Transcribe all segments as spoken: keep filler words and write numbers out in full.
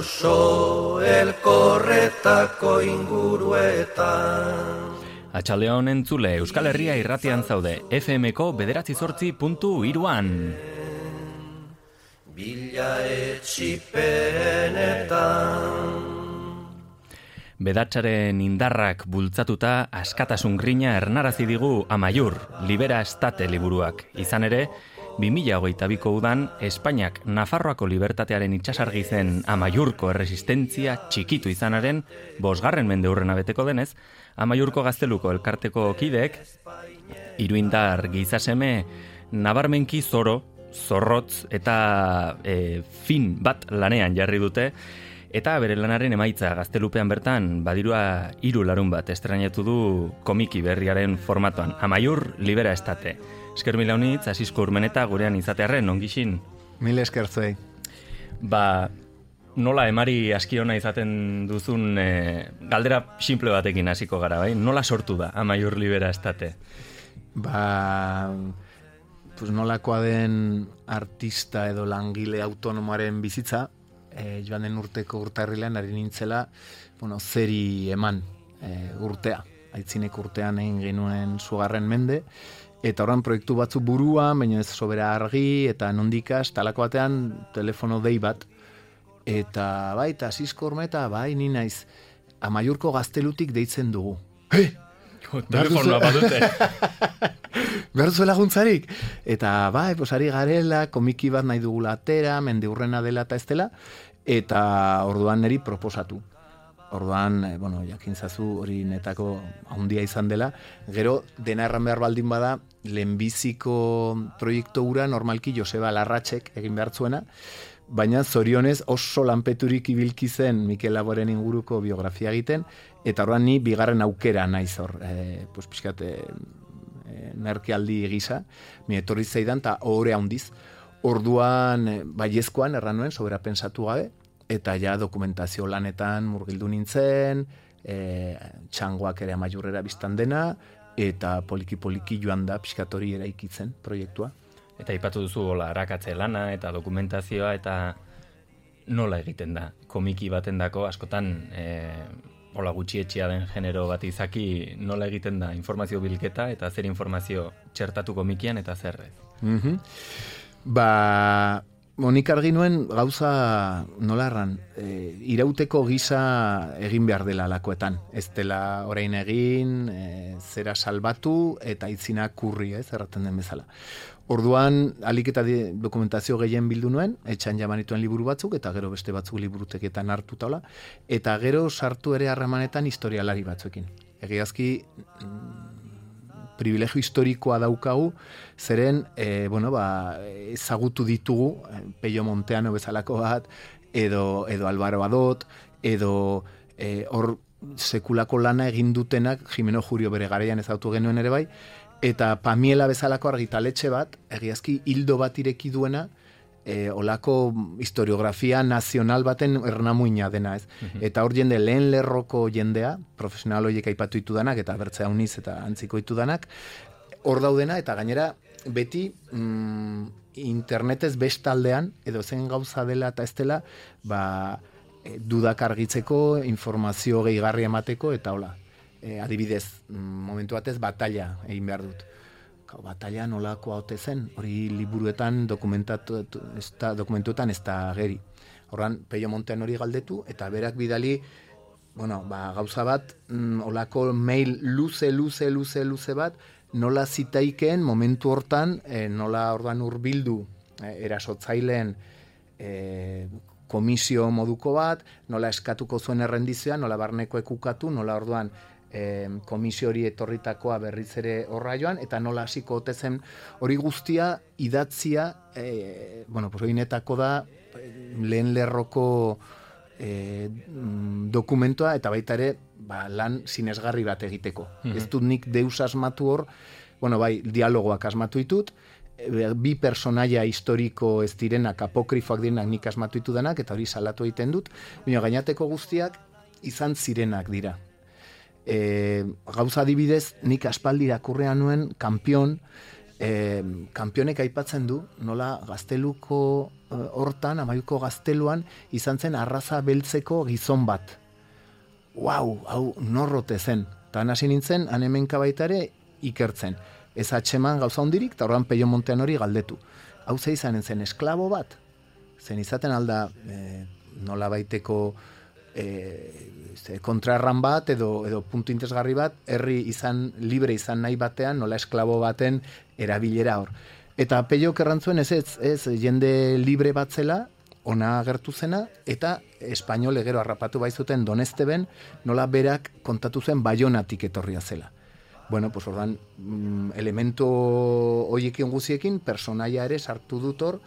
oso elkorretako inguruetan. Atxaldeon entzule, Euskal Herria irratian zaude, F M-ko bederatzi zortzi puntu iruan. Bila etxipenetan. Bedatzaren indarrak bultzatuta askatasun grina ernarazi digu Amaiur, Libera Estate liburuak. Izan ere, bi mila hogeita biko udan, Espainiak Nafarroako libertatearen itxasargi zen Amaiurko erresistentzia txikitu izanaren, bosgarren mende hurrena beteko denez, Amaiurko gazteluko elkarteko kideek, iruindar gizaseme, nabarmenki zoro, zorrotz eta e, fin bat lanean jarri dute, eta bere lanaren emaitza gaztelupean bertan badirua hiru larun bat estrenatu du komiki berriaren formatuan. Amaiur, Libera Estate. Esker mila honitz, Asisko Urmeneta gurean izatearren, ongixin? Mil esker zuei. Ba, nola emari askiona izaten duzun e, galdera simple batekin hasiko gara, bai? Nola sortu da Amaiur, Libera Estate? Ba, pues nolakoa den artista edo langile autonomoaren bizitza, E, joan den urteko urtarrilean ari nintzela, bueno, zeri eman e, urtea. Aitzinek urtean egin genuen zugarren mende, eta horren proiektu batzu buruan, baina ez sobera argi, eta nondikas, talako batean telefono dei bat, eta bai, eta Asisko Urmeneta, bai, ni naiz, Amaiurko gaztelutik deitzen dugu. He! Telefonoa badute. Behar duzu laguntzarik? Eta bai, posari garela, komiki bat nahi dugula atera, mende hurrena dela eta ez dela, eta orduan niri proposatu. Orduan, eh, bueno, jakintzazu hori netako handia izan dela, gero dena erran behar baldin bada, lehenbiziko proiektu hura normalki Joseba Larratxek egin behar zuena, baina zorionez oso lanpeturik ibilki zen Mikel Laboren inguruko biografia egiten, eta orduan ni bigarren aukera naiz hor, eh, pues pixkat, eh, merkealdi gisa, mi etorri zaidan, eta ohore handiz. Orduan, baiezkoan, erran nuen, sobera pensatu gabe, eta ja dokumentazio lanetan murgildu nintzen, e, txangoak ere Amaiurrera biztan dena, eta poliki-poliki joan da pixkatori eraikitzen proiektua. Eta aipatu duzu hola, arakatze lana eta dokumentazioa, eta nola egiten da? Komiki batendako askotan e, hola gutxietxea den genero bat izaki, nola egiten da informazio bilketa eta zer informazio txertatu komikian eta zer ez? Mm-hmm. Ba, monik argi nuen gauza nola erran, e, irauteko gisa egin behar dela lakoetan. Ez dela orain egin, e, zera salbatu eta itzina kurri, ez, erraten den bezala. Orduan, alik eta dokumentazio gehien bildu nuen, etxan jamanituen liburu batzuk, eta gero beste batzuk liburuteketan hartu taula, eta gero sartu ere harremanetan historialari batzuekin. Egiazki, privilegio historikoa daukagu, zeren, e, bueno, ba, ezagutu ditugu, Peio Monteano bezalako bat, edo, edo Alvaro Adot, edo hor e, sekulako lana egin dutenak, Jimeno Jurio bere garaian ezagutu genuen ere bai, eta Pamiela bezalako argitaletxe bat, egiazki hildo bat ireki duena, e, olako historiografia nazional baten ernamuina dena, ez? Uh-huh. Eta hor jende lehen lerroko jendea, profesional horiek aipatu ditudanak, eta bertzea uniz eta antziko ditudanak, hor daudena, eta gainera beti mm, internetez bestaldean, edo zen gauza dela eta ez dela, ba, e, dudak argitzeko, informazio gehigarri emateko, eta hola. E, adibidez, momentu batez batalla egin behar dut. Kau, batalla nolakoa ote zen, hori liburuetan dokumentatu, ez da, dokumentuetan ez da geri. Horran, Peio Montean hori galdetu, eta berak bidali, bueno, ba, gauza bat, mm, olako mail luze, luze, luze, luze bat, nola zitaikeen momentu hortan, e, nola ordan hurbildu e, erasotzaileen e, komisio moduko bat, nola eskatuko zuen errendizioa, nola barneko ekukatu, nola orduan E, komisio hori etorritakoa berriz ere horra joan, eta nola hasiko ote zen hori guztia idatzia, e, bueno, pues oinetako da lehen lerroko e, dokumentua, eta baita ere ba, lan sinesgarri bat egiteko. Mm-hmm. Ez dut nik deus asmatu hor, bueno, bai, dialogoak asmatu ditut, e, bi personaia historiko ez direnak, apokrifoak direnak nik asmatu ditu denak, eta hori salatu egiten dut, baina gainateko guztiak izan zirenak dira. E, gauza adibidez, nik aspaldi irakurrean nuen, Kampion, e, kanpionek aipatzen du, nola gazteluko hortan, amaiuko gazteluan, izan zen arraza beltzeko gizon bat. Wow, hau norrote zen. Eta hasi nintzen, hanemenka baita ere ikertzen. Ez atxeman gauza hondirik, eta horren Peio Montean hori galdetu. Hau ze izanen zen esklabo bat? Zen izaten alda e, nola baiteko e, kontrarran bat edo, edo puntu interesgarri bat, herri izan, libre izan nahi batean, nola esklabo baten erabilera hor. Eta Peio kerrantzuen ez ez, ez jende libre bat zela, ona agertu zena, eta espainole gero harrapatu baizuten Donesteben, nola berak kontatu zen Baionatik etorria zela. Bueno, pues ordan, elemento hoiekin guziekin, personaia ere sartu dut hor,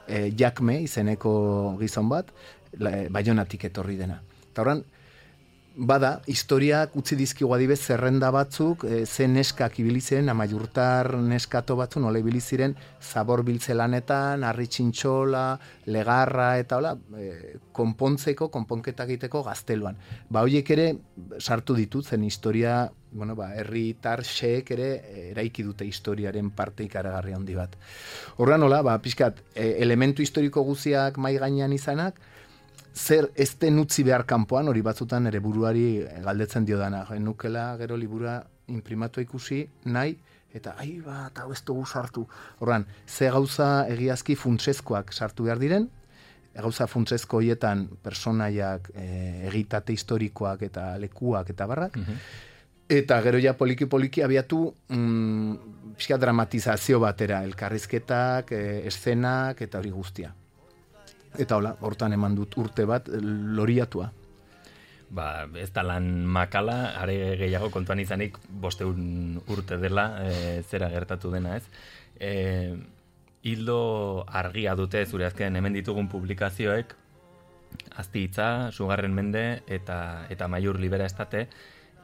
e, Jakme izeneko gizon bat, Baionatik etorri dena. Eta ordan, bada, historiak utzi dizkigu adibez zerrenda batzuk, e, ze neskak ibili ziren, amaiurtar neskato batzu, nola ibili ziren, zabor biltzelanetan, harri txintxola, legarra, eta hola, e, konpontzeko, konponketa egiteko gazteluan. Ba, horiek ere sartu ditut, zen historia, bueno, ba, herritar xeek ere eraiki dute historiaren parte ikaragarri handi bat. Horra nola, ba, pixkat, e, elementu historiko guziak mai gainean izanak, zer ez den utzi behar kanpoan, hori batzutan ere buruari galdetzen dio dana. Nukela gero liburua imprimatu ikusi nahi, eta ai bat, hau ez dugu sartu. Horran, ze gauza egiazki funtsezkoak sartu behar diren, gauza funtsezko hoietan personaiak, e, egitate historikoak eta lekuak eta barrak, mm-hmm. Eta gero ja poliki-poliki abiatu mm, pixka dramatizazio batera, elkarrizketak, e, eszenak eta hori guztia. Eta hola, hortan eman dut urte bat loriatua. Ba, ez da lan makala, are gehiago kontuan izanik bosteun urte dela, e, zera gertatu dena, ez? E, hildo argia dute zure azken hemen ditugun publikazioek, Azti hitza, Sugarren mende eta, eta Amaiur libera estate,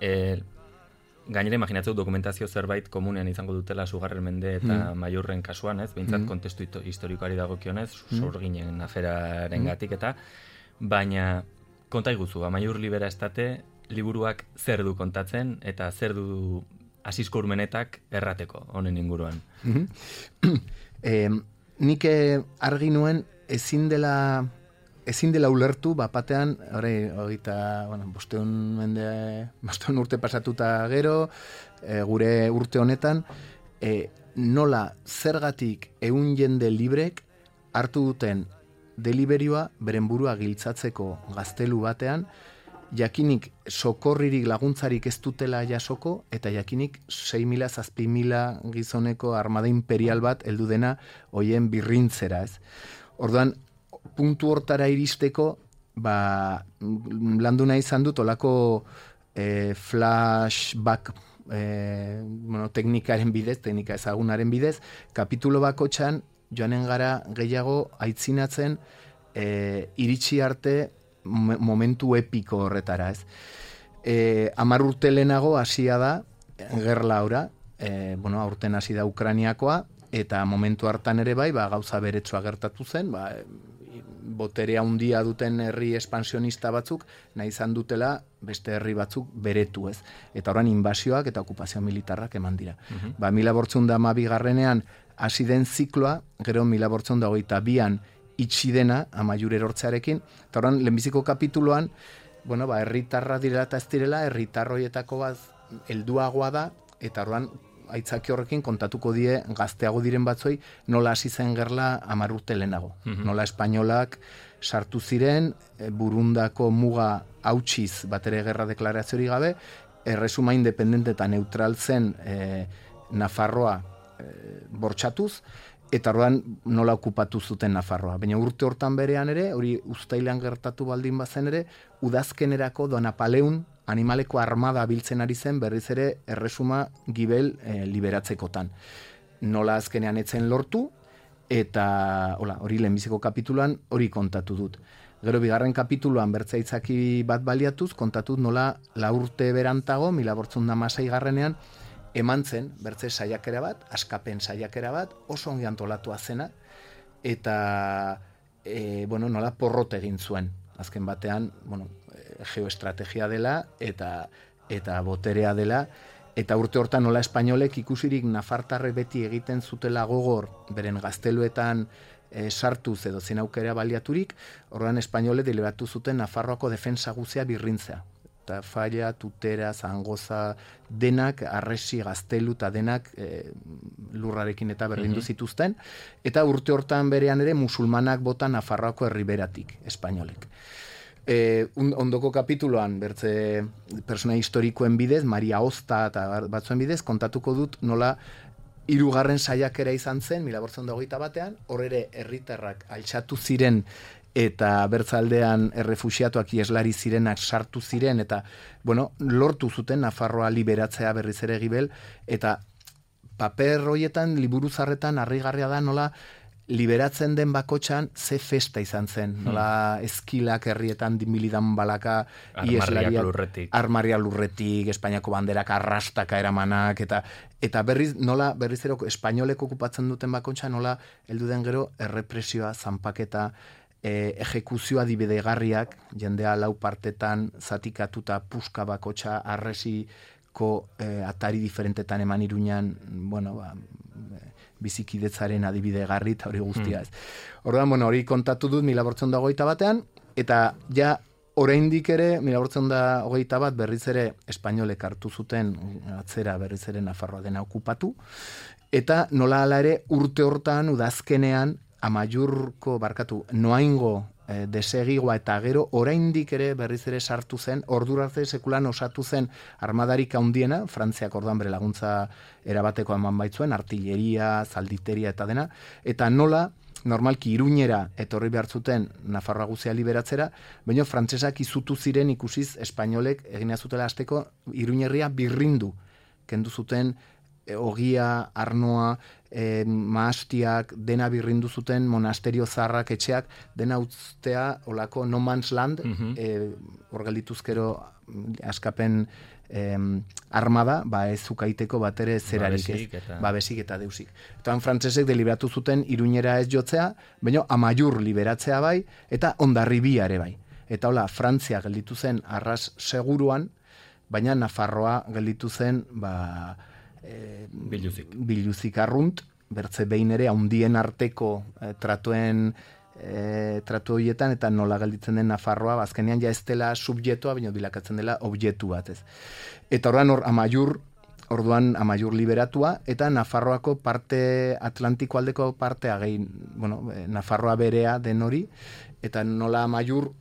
e, gainera imaginatzeu dokumentazio zerbait komunean izango dutela Sugarren mende eta mm. Amaiurren kasuan, ez? Behintzat mm. kontestu historikoari dagokionez, mm. sorginen aferaren gatik eta, baina konta iguzu, Amaiur libera estate liburuak zer du kontatzen eta zer du Asisko Urmenetak errateko honen inguruan. Mm-hmm. eh, nik argi nuen ezin dela ezin dela ulertu, bapatean, hori, hogeita, bueno, bosteun mende, bosteun urte pasatuta gero, e, gure urte honetan, e, nola zergatik ehun jende librek hartu duten deliberioa beren burua giltzatzeko gaztelu batean, jakinik sokorririk laguntzarik ez dutela jasoko, eta jakinik sei mila, zazpi mila gizoneko armada imperial bat heldu dena hoien birrintzera, ez. Orduan, puntu hortara iristeko, ba, landu nahi izan dut olako e, flashback e, bueno, teknikaren bidez, teknika ezagunaren bidez, kapitulo bakotxan joanen gara gehiago aitzinatzen e, iritsi arte momentu epiko horretara, ez. E, Hamar urte lehenago hasia da gerla ora, e, bueno, aurten hasi da Ukrainiakoa, eta momentu hartan ere bai, ba, gauza beretsua gertatu zen, ba, boterea handia duten herri espansionista batzuk, nahi izan dutela beste herri batzuk beretu, ez. Eta orain inbasioak eta okupazio militarrak eman dira. Uh-huh. Ba, mila bortzun da amabigarrenean hasi den zikloa, gero mila bortzun da hogeita bian itxi dena, Amaiur erortzearekin, eta orain lehenbiziko kapituloan, bueno, ba, herritarra direla eta ez direla, herritarroietako bat helduagoa da, eta orain aitzaki horrekin kontatuko die gazteago diren batzoi nola hasi zen gerla hamar urte lehenago. Mm-hmm. Nola espainolak sartu ziren, burundako muga hautsiz batere gerra deklaraziorik gabe, erresuma independente eta neutral zen e, Nafarroa e, bortxatuz, eta orduan nola okupatu zuten Nafarroa. Baina urte hortan berean ere, hori uztailean gertatu baldin bazen ere, udazkenerako do Napaleun animaleko armada biltzen ari zen berriz ere erresuma gibel e, liberatzekotan. Nola azkenean etzen lortu, eta hola, hori lehenbiziko kapituloan hori kontatu dut. Gero bigarren kapituloan bertzaitzaki bat baliatuz, kontatu nola la urte berantago, mila bortzun da masai garrenean, eman zen bertze saiakera bat, askapen saiakera bat, oso ongi antolatua zena, eta e, bueno, nola porrot egin zuen. Azken batean, bueno, geoestrategia dela eta eta boterea dela, eta urte hortan nola espainolek ikusirik nafartarrek beti egiten zutela gogor, beren gazteluetan e, sartuz edo zen aukera baliaturik, orduan espainole deliberatu zuten Nafarroako defensa guzea birrintzea. Eta Falla, Tutera, Zangoza, denak, Arresi, Gaztelu eta denak e, lurrarekin eta berrindu mm-hmm. zituzten. Eta urte hortan berean ere musulmanak bota Nafarroako herriberatik, espainolek. E, ondoko kapituloan, bertze persona historikoen bidez, Maria Osta eta batzuen bidez, kontatuko dut nola hirugarren saiakera izan zen, mila bederatziehun eta hogeita batean, hor ere herritarrak altxatu ziren eta bertzaldean errefuxiatuak ieslari zirenak sartu ziren, eta, bueno, lortu zuten Nafarroa liberatzea berriz ere Gibel, eta paper horietan, liburu zarretan, harrigarria da nola liberatzen den bakotxan ze festa izan zen, nola eskilak herrietan dimilidan balaka, armarriak lurretik, armarria lurretik, Espainiako banderak arrastaka eramanak, eta eta berriz, nola, berriz eroko, espainolek okupatzen duten bakotxa, nola, heldu den gero, errepresioa, zanpaketa, E, ejekuzioa dibidegarriak, jendea lau partetan zatikatuta puska bakotxa arresiko e, atari diferentetan eman Iruñan, bueno, ba, bizikidetzaren adibidegarri eta hori guztia ez. Mm. Orduan, bueno, hori kontatu dut mila bederatziehun eta hogeita batean, eta ja oraindik ere, mila bederatziehun eta hogeita bat berriz ere espainolek hartu zuten atzera berriz ere Nafarroa dena okupatu, eta nola hala ere urte hortan udazkenean Amaiurko, barkatu, Noaingo e, desegigoa eta gero oraindik ere berriz ere sartu zen, ordura arte sekulan osatu zen armadarik handiena, Frantziak orduan bere laguntza erabateko eman baitzuen, artilleria, zalditeria eta dena, eta nola, normalki Iruñera etorri behar zuten Nafarroa guzia liberatzera, baina frantsesak izutu ziren ikusiz espainolek egina zutela hasteko Iruñerria birrindu, kendu zuten e, ogia, arnoa, E, maastiak, dena birrindu zuten monasterio zaharrak etxeak, dena utztea olako no man's land, mm-hmm. e, hor geldituzkero askapen e, armada, ba ez zukaiteko bat ere zerarik ez, eta... babesik eta deusik. Eta frantsesek deliberatu zuten Iruñera ez jotzea, baina Amaiur liberatzea bai, eta Hondarribia ere bai. Eta hola, Frantzia gelditu zen arras seguruan, baina Nafarroa gelditu zen, ba... E, biluzik. biluzik arrunt, bertze behin ere haundien arteko e, tratuen e, tratu horietan, eta nola gelditzen den Nafarroa, azkenean ja ez dela subjektua, baina bilakatzen dela objektu bat ez. Eta orduan hor Amaiur, orduan Amaiur liberatua, eta Nafarroako parte Atlantiko aldeko partea gehi, bueno, Nafarroa berea den hori, eta nola Amaiur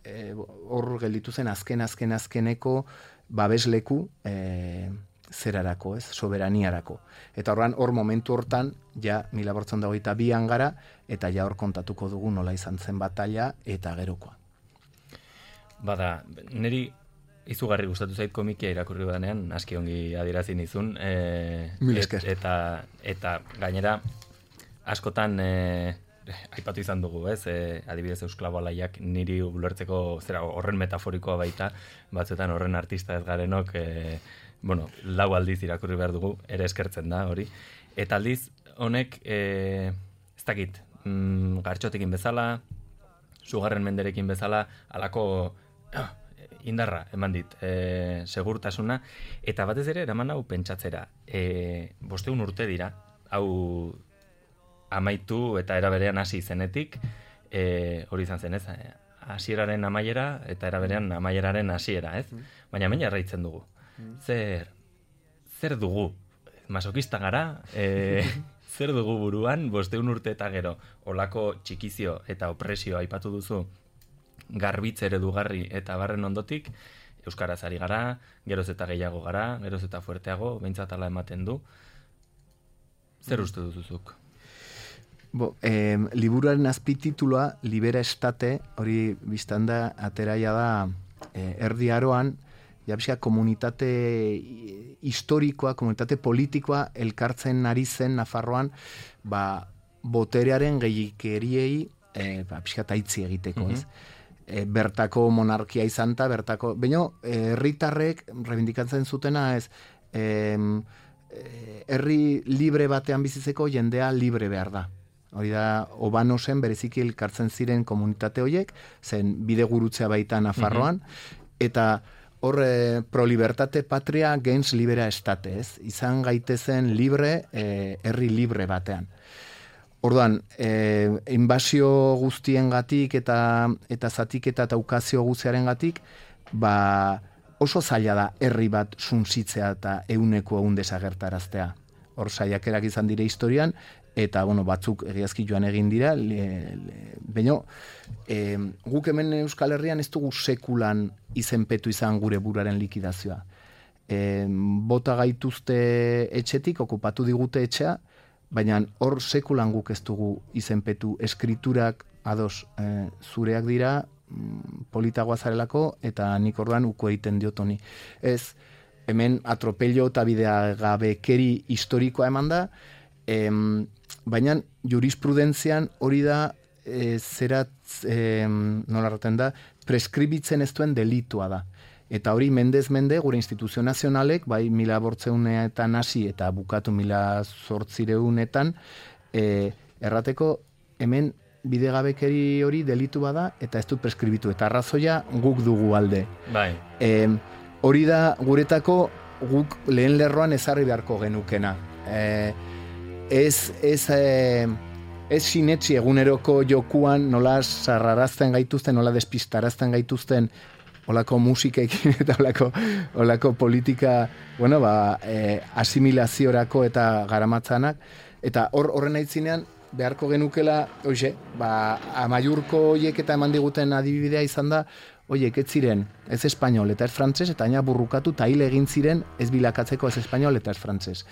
hor e, gelditu zen azken azken azkeneko babesleku e, zerarako, ez, soberaniarako. Eta horran, hor momentu hortan, ja, mila bederatziehun eta hogeita bian gara, eta ja hor kontatuko dugu nola izan zen batalla eta gerokoa. Bada, niri izugarri gustatu zait komikia irakurri badenean, aski ongi adierazi nizun, e, et, eta, eta gainera, askotan, e, aipatu izan dugu, ez, e, adibidez Eusklabo Alaiak niri ulertzeko, zera, horren metaforikoa baita, batzuetan horren artista ez garenok, e, bueno, lau aldiz irakurri behar dugu, ere eskertzen da, hori. Eta aldiz, honek, e, ez dakit, mm, gartxotekin bezala, sugarren menderekin bezala, alako oh, indarra eman dit, e, segurtasuna, eta batez ere, eraman hau pentsatzera, e, bosteun urte dira, hau amaitu eta eraberean hasi zenetik, e, hori izan zen, ez, hasieraren amaiera eta eraberean amaieraren hasiera, ez? Baina hemen jarraitzen dugu. Zer, zer dugu, masokista gara, e, zer dugu buruan, bosteun urte eta gero, olako txikizio eta opresio aipatu duzu, garbitz eredugarri eta barren ondotik, euskaraz ari gara, geroz eta gehiago gara, geroz eta fuerteago, behintzat ala ematen du. Zer uste duzuzuk? Bo, eh, liburuaren azpititulua, Libera Estate, hori biztanda ateraia da eh, erdi aroan, ja, komunitate historikoa, komunitate politikoa elkartzen ari zen Nafarroan, ba, boterearen gehikeriei e, ba, pixka taitzi egiteko, ez? Mm-hmm. E, bertako monarkia izan ta, bertako, baina herritarrek rebindikatzen zutena, ez, e, herri libre batean bizitzeko jendea libre behar da. Hori da, Obanosen bereziki elkartzen ziren komunitate horiek, zen bide gurutzea baita Nafarroan, mm-hmm. eta hor e, pro libertate patria gens libera estate, ez? Izan gaitezen libre, e, herri libre batean. Orduan, e, inbasio guztiengatik eta eta zatiketa eta ukazio guztiarengatik, ba oso zaila da herri bat suntsitzea eta ehuneko ehun desagertaraztea. Hor saiakerak izan dire historian, eta bueno, batzuk egiazki joan egin dira, baina e, guk hemen Euskal Herrian ez dugu sekulan izenpetu izan gure buraren likidazioa. E, bota gaituzte etxetik, okupatu digute etxea, baina hor sekulan guk ez dugu izenpetu, eskriturak ados e, zureak dira, politagoa zarelako, eta nik orduan uko egiten diot honi. Ez, hemen atropello eta bideagabekeri historikoa eman da, em, baina jurisprudentzian hori da e, zerat, e, nola erraten da, preskribitzen ez duen delitua da. Eta hori mendez mende gure instituzio nazionalek, bai mila bortzeuneetan hasi eta bukatu mila zortzireunetan, e, errateko hemen bidegabekeri hori delitu bada eta ez du preskribitu. Eta arrazoia guk dugu alde. Bai. E, hori da guretako guk lehen lerroan ezarri beharko genukena. E, ez, ez, e, ez sinetsi eguneroko jokuan nola sarrarazten gaituzten, nola despistarazten gaituzten olako musikekin eta olako, olako politika, bueno, ba, e, asimilaziorako eta garamatzanak. Eta hor horren aitzinean, beharko genukela, oixe, ba, amaiurko hoiek eta eman diguten adibidea izan da, oiek, ez ziren, ez espainol eta ez frantses, eta aina burrukatu eta hil egin ziren ez bilakatzeko ez espainol eta ez frantses.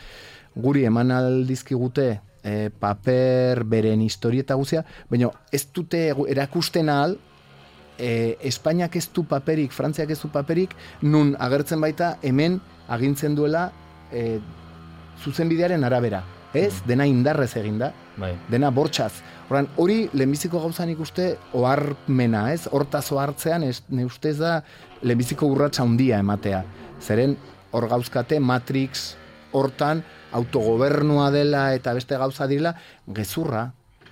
Guri eman aldizkigute e, paper beren historieta guzia, baina ez dute erakusten ahal, e, Espainiak ez du paperik, Frantziak ez du paperik, nun agertzen baita hemen agintzen duela e, zuzenbidearen arabera. Ez, dena indarrez eginda, bai. Dena bortxaz. Horan, hori lehenbiziko gauzan ikuste oharmena, ez? Hortaz ohartzean, ez, ne ustez da lehenbiziko urratsa handia ematea. Zeren, hor gauzkate, Matrix hortan, autogobernua dela eta beste gauza direla, gezurra.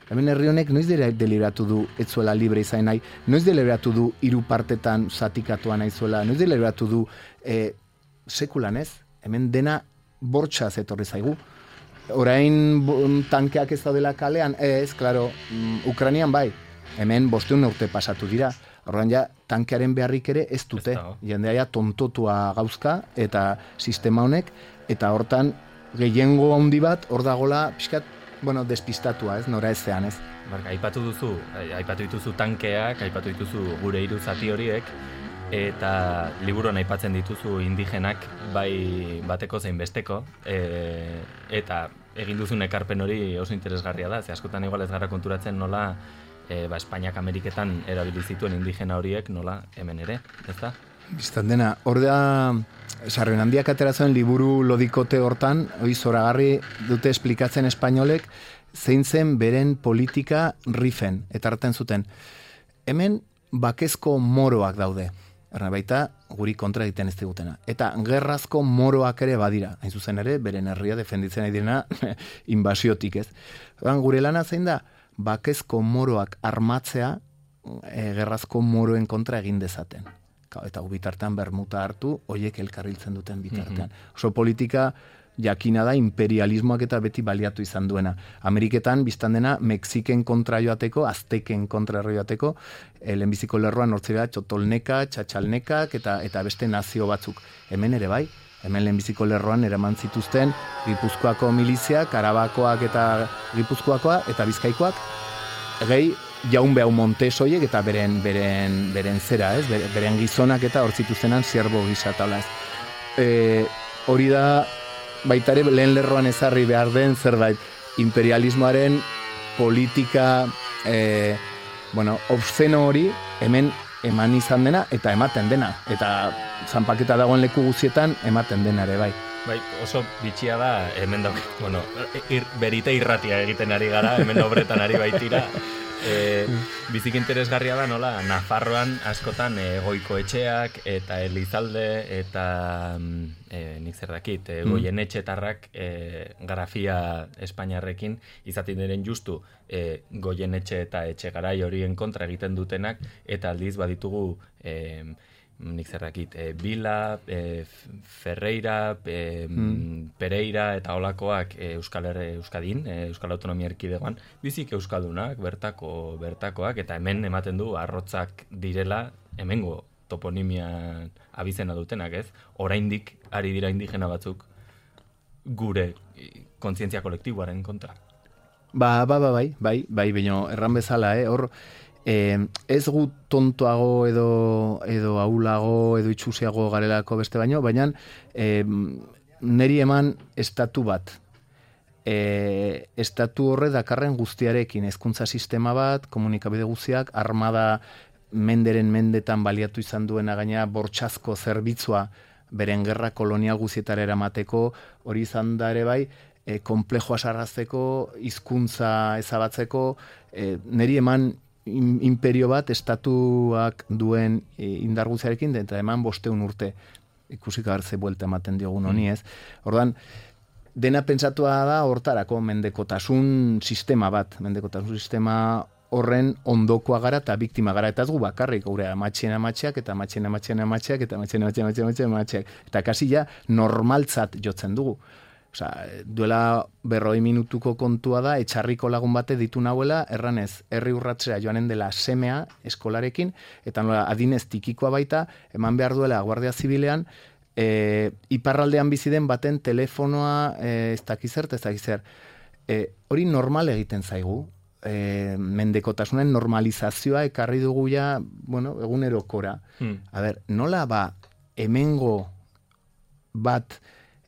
Hemen herri honek noiz deliberatu du etzuela libre izan nahi, noiz deliberatu du hiru partetan zatikatua naizuela, noiz deliberatu du e, sekulan, ez? Hemen dena bortxaz etorri zaigu. Orain tankeak ez daudela kalean, ez, klaro, Ukrainian bai, hemen bosteun urte pasatu dira. Horren ja, tankearen beharrik ere ez dute. Jendea ja tontotua gauzka eta sistema honek, eta hortan gehiengo handi bat, hor dagola, pixkat, bueno, despistatua, ez, nora ezean, ez. Barka, aipatu duzu, aipatu dituzu tankeak, aipatu dituzu gure hiru zati horiek, eta liburuan aipatzen dituzu indigenak bai bateko zein besteko, e, eta egin duzun ekarpen hori oso interesgarria da, ze askotan igual ez gara konturatzen nola e, ba, Espainiak Ameriketan erabili zituen indigena horiek nola hemen ere, ezta? Biztan dena, hor da, sarren handiak ateratzen liburu lodikote hortan, hori zoragarri dute esplikatzen espainolek, zein zen beren politika rifen, eta hartzen zuten. Hemen bakezko moroak daude. Erna baita, guri kontra egiten ez digutena. Eta gerrazko moroak ere badira. Hain zuzen ere, beren herria defenditzen ari direna inbasiotik, ez. Gure lana zein da, bakezko moroak armatzea e, gerrazko moroen kontra egin dezaten. Eta bitartean bermuta hartu, hoiek elkarriltzen duten bitartean. Mm-hmm. Oso politika jakina da imperialismoak eta beti baliatu izan duena. Ameriketan, biztan dena, Mexiken kontra joateko, Azteken kontra joateko, e, lehenbiziko lerroan hortzera txotolneka, txatxalnekak eta eta beste nazio batzuk. Hemen ere bai, hemen lehenbiziko lerroan eraman zituzten Gipuzkoako miliziak, Arabakoak eta Gipuzkoakoa eta Bizkaikoak, gehi jaun behau Montesoiek eta beren, beren, beren zera, ez? Beren gizonak eta hor zituztenan zierbo gisa taula, ez? E, hori da baitare lehen lerroan ezarri behar den zerbait imperialismoaren politika e, bueno, obszeno hori hemen eman izan dena eta ematen dena. Eta zanpaketa dagoen leku guztietan ematen dena ere bai. Bai, oso bitxia da, hemen dauk, bueno, ir, berite irratia egiten ari gara, hemen obretan ari baitira. E, bizik interesgarria da nola Nafarroan askotan e, goiko etxeak eta Elizalde eta e, nik zer dakit e, goien etxetarrak e, grafia espainiarrekin izaten diren justu e, goien etxe eta etxe garai horien kontra egiten dutenak eta aldiz baditugu e, nik zerrakit, e, Bila, e, Ferreira, e, mm. Pereira eta olakoak e, Euskal Herri Euskadin, e, Euskal Autonomia Erkidegoan, bizik euskaldunak, bertako bertakoak, eta hemen ematen du arrotzak direla, hemengo toponimia abizena dutenak, ez? Oraindik ari dira indigena batzuk gure kontzientzia kolektiboaren kontra. Ba, ba, ba, bai, bai, bai, baina erran bezala, eh, hor, eh, ez gu tontoago edo, edo aulago edo itxusiago garelako beste baino, baina eh, neri eman estatu bat. Eh, estatu horre dakarren guztiarekin, hezkuntza sistema bat, komunikabide guztiak, armada menderen mendetan baliatu izan duena gaina bortxazko zerbitzua beren gerra kolonial guztietara eramateko, hori izan da ere bai, e, komplejoa sarrazteko, hizkuntza ezabatzeko, e, neri eman imperio bat estatuak duen e, indar guztiarekin, eta eman bosteun urte ikusik agertze buelta ematen diogun honi ez. Ordan dena pentsatua da hortarako mendekotasun sistema bat, mendekotasun sistema horren ondokoa gara eta biktima gara, eta ez gu bakarrik, gure amatxien amatxeak, eta amatxien amatxien amatxeak, eta amatxien amatxien amatxien amatxeak, eta kasi ja normaltzat jotzen dugu. Osa, duela berroi minutuko kontua da, etxarriko lagun bate ditu nahuela, erranez, herri urratzea joanen dela semea eskolarekin, eta nola adinez tikikoa baita, eman behar duela Guardia Zibilean, e, iparraldean bizi den baten telefonoa e, ez dakizer, ez dakizer. E, hori normal egiten zaigu, E, mendekotasunen normalizazioa ekarri dugu ja, bueno, egunerokora. Hmm. A ber, nola ba hemengo bat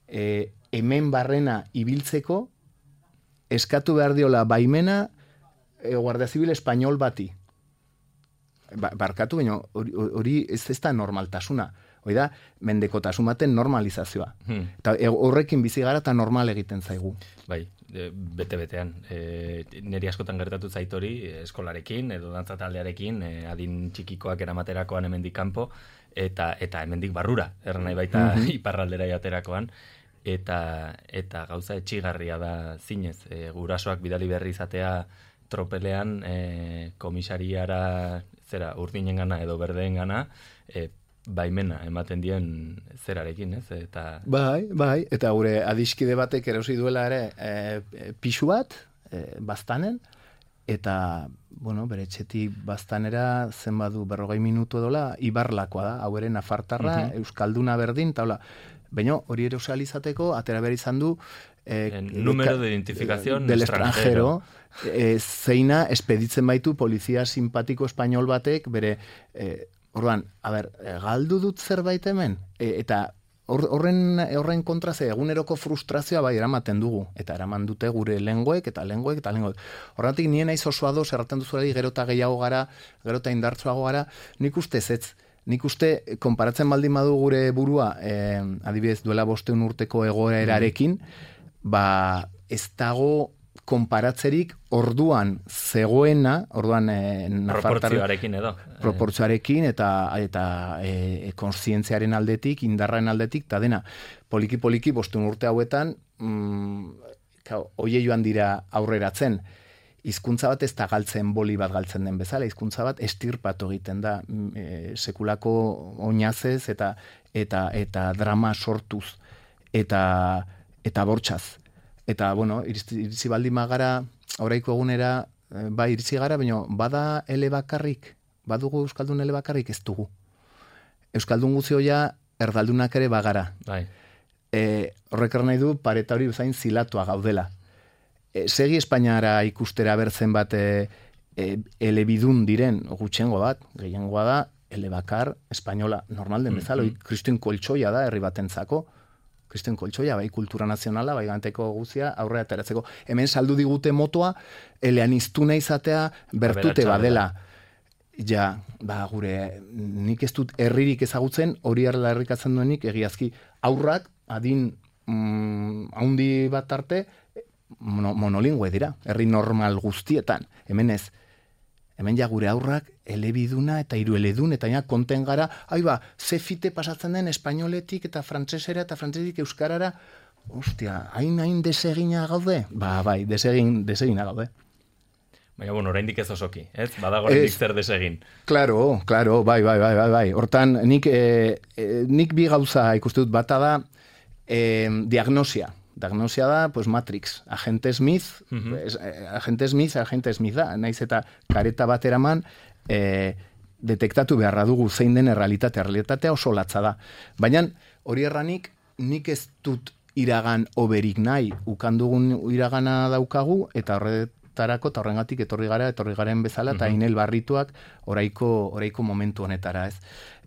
e, hemen barrena ibiltzeko eskatu behar diola baimena e, Guardia Zibil Espainol bati. Ba, barkatu, baina hori ez ez da normaltasuna. Hoi da, mendekotasun baten normalizazioa. Hmm. Eta horrekin bizi gara eta normal egiten zaigu. Bai, bete-betean. E, neri askotan gertatu zaitori eskolarekin edo dantza taldearekin, e, adin txikikoak eramaterakoan hemendik kanpo, eta eta hemendik barrura, erran nahi baita mm-hmm. iparraldera jaterakoan, eta eta gauza etxigarria da zinez. E, gurasoak bidali berri izatea tropelean e, komisariara zera urdinen gana edo berdeen gana, e, baimena ematen dien zerarekin, ez? Eta bai, bai, eta gure adiskide batek erosi duela ere e, pixu bat, e, baztanen, eta, bueno, bere etxetik baztanera zenbadu berrogei minutu edola, ibarlakoa da, hau ere nafartarra, uh-huh. euskalduna berdin, eta hola, baina hori erosalizateko, atera behar izan du, e, número de identificación del extranjero, e, zeina espeditzen baitu polizia simpatiko espainol batek, bere e, orduan, a ber, galdu dut zerbait hemen, e, eta horren horren kontra ze eguneroko frustrazioa bai eramaten dugu, eta eraman dute gure lenguek, eta lenguek, eta lenguek. Horretik nien naiz oso ados, erraten duzuari gero eta gehiago gara, gero eta indartsuago gara, nik uste zetz, nik uste, konparatzen baldin badu gure burua, eh, adibidez duela bosteun urteko egoerarekin, ba, ez dago konparatzerik orduan zegoena, orduan e, proportzioarekin edo. Proportzioarekin eta eta e, kontzientziaren aldetik, indarraren aldetik, eta dena, poliki-poliki bostun urte hauetan, mm, oie joan dira aurreratzen. Hizkuntza bat ez da galtzen boli bat galtzen den bezala, hizkuntza bat estirpatu egiten da, e, sekulako oinazez eta eta eta drama sortuz eta eta bortxaz. Eta, bueno, iritsi, iritsi baldin magara, oraiko egunera, bai, iritsi gara, baina bada ele bakarrik, badugu Euskaldun ele bakarrik, ez dugu. Euskaldun guzioia, erdaldunak ere bagara. Bai. E, horrek nahi du, pareta hori bezain zilatua gaudela. E, segi Espainiara ikustera bertzen bat e, e, elebidun diren, gutxengo bat, gehiengoa da, ele bakar, espainola, normal den bezala, mm-hmm. Kristuen koltsoia da, herri batentzako, Kristen koltsoia, bai, kultura nazionala, bai, ganteko guzia, aurrera ateratzeko. Hemen saldu digute motoa, eleaniztuna izatea, bertute badela. Ja, ba, gure, nik ez dut herririk ezagutzen, hori arla herrikatzen duenik, egiazki, aurrak, adin, mm, haundi bat arte, mono, monolingüe dira, herri normal guztietan. Hemen ez, hemen ja gure aurrak elebiduna eta hirueledun, eta ja konten gara, ai ba, ze fite pasatzen den espainoletik eta frantsesera eta frantsesetik euskarara, ostia, hain hain desegina gaude? Ba, bai, desegin, desegina gaude. Baina, bueno, oraindik ez osoki, ez? Badago oraindik zer desegin. Claro, claro, bai, bai, bai, bai, bai. Hortan, nik, eh, nik bi gauza ikuste dut, bata da eh, diagnosia. Diagnosia da, pues Matrix, agente Smith, uh-huh. es, eh, agente Smith, agente Smith da, naiz eta kareta bat eraman, eh, detektatu beharra dugu zein den errealitatea, errealitatea oso latza da. Baina, hori erranik, nik ez dut iragan oberik nahi, ukandugun iragana daukagu, eta horretarako, eta horrengatik etorri gara, etorri garen bezala, eta uh-huh. inel barrituak oraiko, oraiko momentu honetara, ez.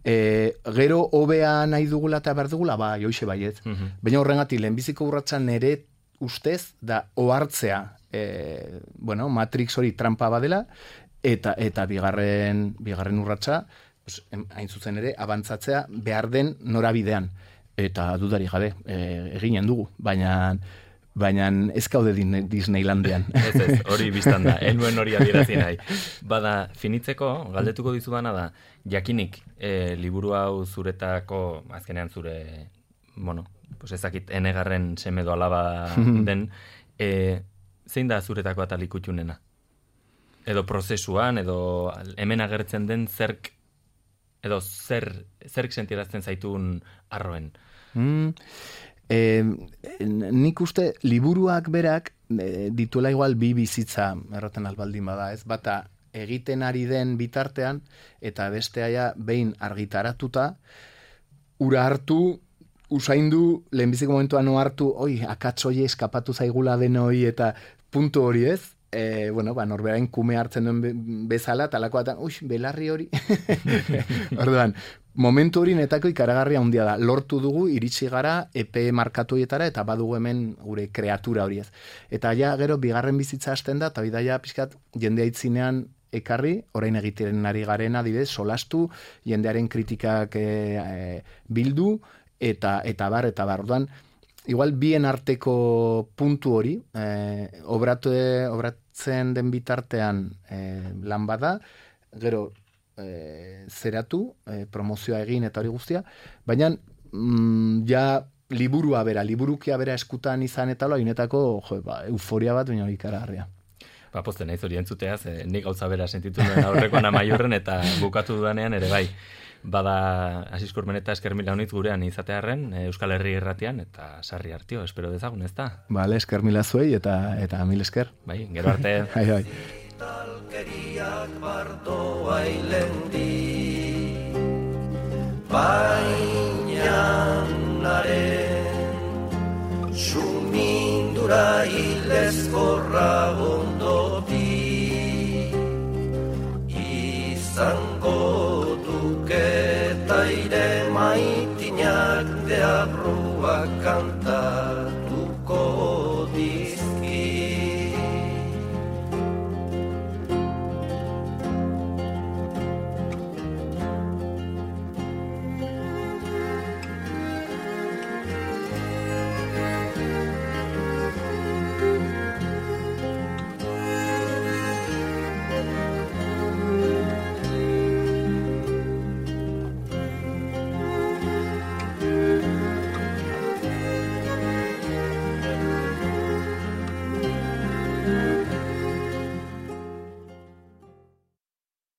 E, gero hobea nahi dugula eta behar dugula, ba, joixe baiet. Uh-huh. Baina horrengatik, lehenbiziko urratsan nere ustez, da ohartzea, e, bueno, Matrix hori trampa badela, eta eta bigarren, bigarren urratsa, pues, hain zuzen ere, abantzatzea behar den norabidean. Eta dudari gabe, e, eginen dugu, baina baina ez gaude Disneylandian. Ez ez, hori biztan da, enuen hori adierazi nahi. Bada, finitzeko, galdetuko dizudana da, jakinik, e, liburu hau zuretako, azkenean zure, bueno, pues ezakit, enegarren semedo alaba den, e, zein da zuretako atalik utxunena? Edo prozesuan, edo hemen agertzen den zerk, edo zer, zerk sentirazten zaitun arroen? Mm, eh, nik uste liburuak berak eh, dituela igual bi bizitza erroten albaldin bada, ez? Bata egiten ari den bitartean eta bestea behin argitaratuta ura hartu, usaindu, lehenbiziko momentuan no hartu, oi, akats hori eskapatu zaigula denoi eta puntu hori, ez? E, bueno, ba, norberain kume hartzen duen bezala, talakoatan, ui, belarri hori. Orduan, momentu hori netako ikaragarria handia da. Lortu dugu, iritsi gara, epe markatu horietara, eta badugu hemen gure kreatura hori ez. Eta ja, gero, bigarren bizitza hasten da, eta bidaia pixkat, jendea itzinean ekarri, orain egiten ari garen adibidez, solastu, jendearen kritikak e, e, bildu, eta, eta bar, eta bar. Orduan, igual bien arteko puntu hori, eh, obratu, obratzen den bitartean eh, lan bada, gero eh, zeratu, eh, promozioa egin eta hori guztia, baina mm, ja liburua bera, liburukia bera eskutan izan eta loa, inetako jo, ba, euforia bat, baina hori ikaragarria. Ba, pozten naiz hori entzuteaz, eh, nik gauza bera sentitu duen aurrekoan Amaiurren eta bukatu dudanean ere bai. Bada Asiz Kurmeneta esker mila honitz gurean izatearren Euskal Herri Irratian eta sarri hartio, espero dezagun, ez da? Bale, esker mila zuei eta, eta mil esker. Bai, gero arte. Bai, bai. Talkeriak bardoa ilendi Bainanaren sumindura hilezkorra ondoti Izango eta ire maitinak deabruak kanta